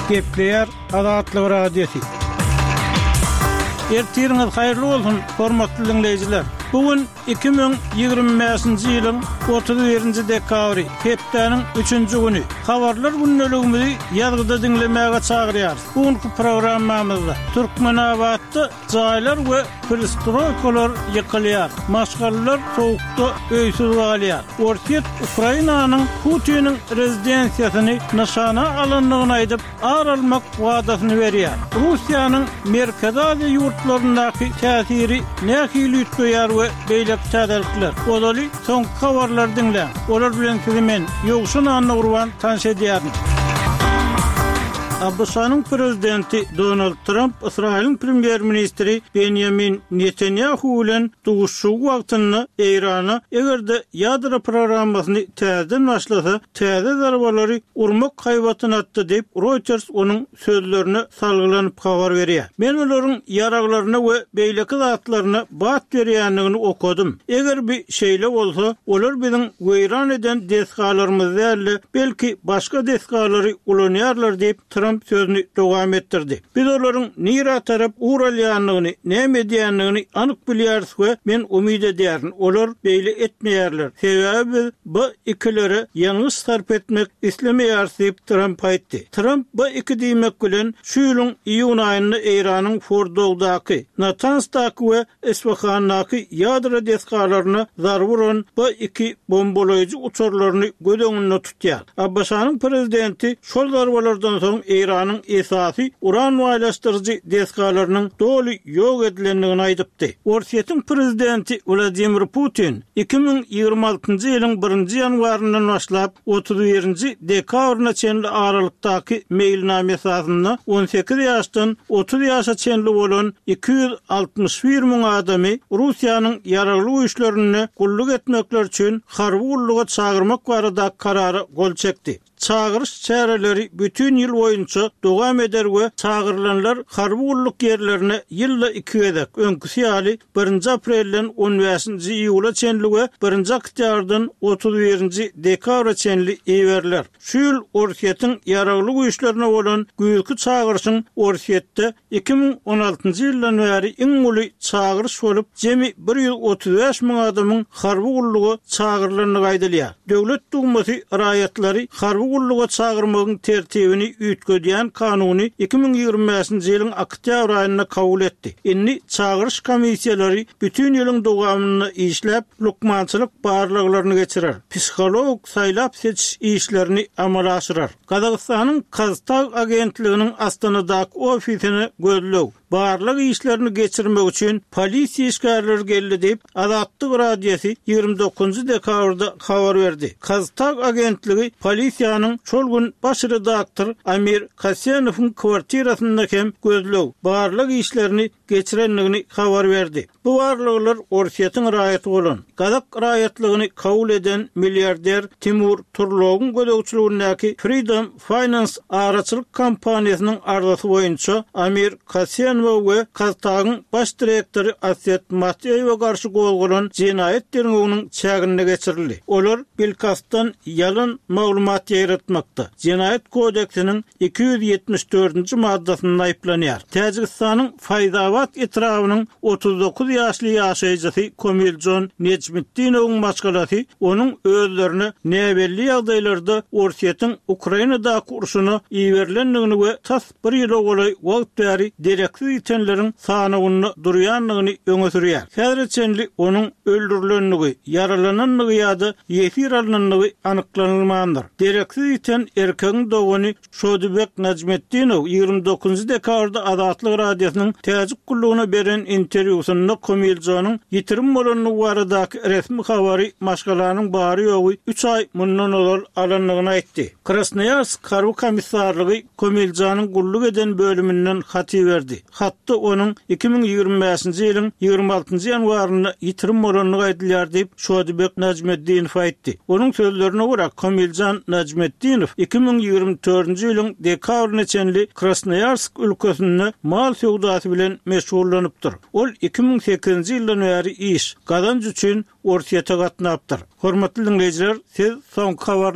Gepleýär Azatlyk Radiosy. Ertiriňiz haýyrly bolsun, hormatly diňleýjiler! Bu gün 2025-nji ýylyň 31-nji dekabry, hepdäniň üçünji güni. Habarlar gündeligimizi ýazgyda diňlemäge çagyrýarys. Bu günki programmamyzda Türkmenabatda Jaýlar we pristroýkalar ýykylýar, maşgalalar sowukda öýsüz galýar. Orsýet Ukrainanyň Putiniň rezidensiýasyny nyşana alandygyny aýdyp, ar almak wadasyny berýär. Russiýanyň Merkezi Aziýa ýurtlaryndaky täsiri nähili üýtgeýär we beýleki täzelikler. Ozaly soňky habarlary diňläň. Olar bilen sizi men, Ýowşan Annagurban tanyş edýärin. ABŞ-nyň prezidenti Donald Tramp Ysraýylyň premýer-ministri Benýamin Netanýahu bilen duşuşygy wagtynda Eýrana eger-de ýadro programmasyny täzeden başlasa, täze zarbalary urmak haýbatyny atdy diýip, Reuters onuň sözlerine salgylanyp habar berýär. Men olaryň ýaraglaryna we beýleki zatlaryna bat berýändigini okadym. Eger bi şeýle bolsa, olar biziň weýran eden desgalarymyzy däl-de, belki başga desgalary ulanýarlar diýip, Tramp sözüni dowam etdirdi. Biz olaryň nirä tarap ugur alýandygyny, näme edýändigini anyk bilýäris we men umyt edýärin, olar beýle etmeýärler, sebäbi biz B-ikilere ýangyç sarp etmek islemeýäris diýip, Tramp aýtdy. Tramp B-iki diýmek bilen, şu ýylyň iýun aýynda Eýranyň Fordowdaky, Natansdaky we Isfahandaky ýadro desgalaryna zarba uran B-iki bombalaýjy uçarlaryny göz öňünde tutýar. ABŞ-nyň prezidenti şol zarbalardan soň Eýranyň esasy uran baýlaşdyryjy desgalarynyň doly ýok edilendigini aýdypdy. Orsýetiň prezidenti Wladimir Putin 2026-njy ýylyň birinji ýanwaryndan başlap 31-nji dekabryna çenli aralykdaky meýilnama esasynda 18 ýaşdan 30 ýaşa çenli bolan 261 müň adamy Russiýanyň Ýaragly Güýçlerinde gulluk etmekleri üçin harby gulluga çagyrmak barada karara gol çekdi. Çagyryş çäreleri bütin ýyl boýunça dowam eder we çagyrylanlar harby gulluk ýerlerine ýylda iki gezek, öňküsi ýaly, birinji aprelden on bäşinji iýula çenli we birinji oktýabrdan 31-nji dekabra çenli iberiler. Şu ýyl Orsýetiň Ýaragly Güýçlerine bolan güýzki çagyryşyň Orsýetde 2016-njy ýyldan bäri iň uly çagyryş bolup, jemi 135 müň adamyň harby gulluga çagyrylandygy aýdylýar. Döwlet Dumasy raýatlary harby gulluga çagyrmagyň tertibini üýtgedýän kanuny 2025-nji ýylyň oktýabr aýynda kabul etdi. Indi çagyryş komissiýalary bütin ýylyň dowamynda işläp, lukmançylyk barlaglaryny geçirer, psihologik saýlap-seçiş işlerini amala aşyrar. Gazagystanyň KazTAG agentliginiň Astanadaky ofisine gözleg, barlag işlerini geçirmek üçin polisiýa işgärleri geldi diýip, Azatlyk Radiosy 29 dekabrda habar berdi. KazTAG agentligi polisiýanyň şol gün baş redaktor Amir Kasenowyň kwartirasynda hem gözleg, barlag işlerini geçirendigini habar berdi. Bu barlaglar Orsýetiň raýaty bolan, gazak raýatlygyny kabul eden milliarder Timur Turlogyň gözegçiligindäki Freedom Finance araçylyk kompaniýasynyň arzasy boýunça Amir Kasenowa we KazTAG-yň baş direktory Aset Mateýewe garşy gozgalan jenaýat derňewiniň çäginde geçirildi. Olar bilkastdan ýalan maglumat ýaýratmakda, Jenaýat kodeksiniň 274-nji maddasynda aýyplanýar. Täjigistanyň Faýzabat etrabynyň 39 ýaşly ýaşaýjysy Komiljon Nejmitdinowyň maşgalasy onuň özlerine näbelli ýagdaýlarda Orsýetiň Ukrainadaky urşuna iberilendigini we tas bir ýyla golaý wagt bäri dereksiz ýitenleriň sanawynda durýandygyny öňe sürýär. Häzire çenli onuň öldürilendigi, ýaralanandygy ýa-da ýesir alnandygy anyklanylmandyr. Dereksiz ýiten erkegiň dogany Şodibek Najmetdinow 29 dekabrda Azatlyk Radiosynyň Täjik gullugyna beren interwýusynda Komiljonyň ýitirim bolandygy baradaky resmi habary maşgalanyň bary-ýogy üç aý mundan ozal alandygyny aýtdy. Krasnoýarsk harby komissarlygy Komiljanyň gulluk eden bölüminden hat iberdi. Hatda onuň 2025-nji ýylyň 26-njy ýanwarynda ýitirim bolandygy aýdylýar diýip, Şodibek Najmeddinow aýtdy. Onuň sözlerine görä, Komiljan Najmetdinow 2024-nji ýylyň dekabryna çenli Krasnoýarsk ülkesinde mal söwdasy bilen meşgullanypdyr. Ol 2008-nji ýyldan bäri iş, gazanç üçin Orsýete gatnapdyr. Hormatly diňleýjiler, siz soňky habarlary.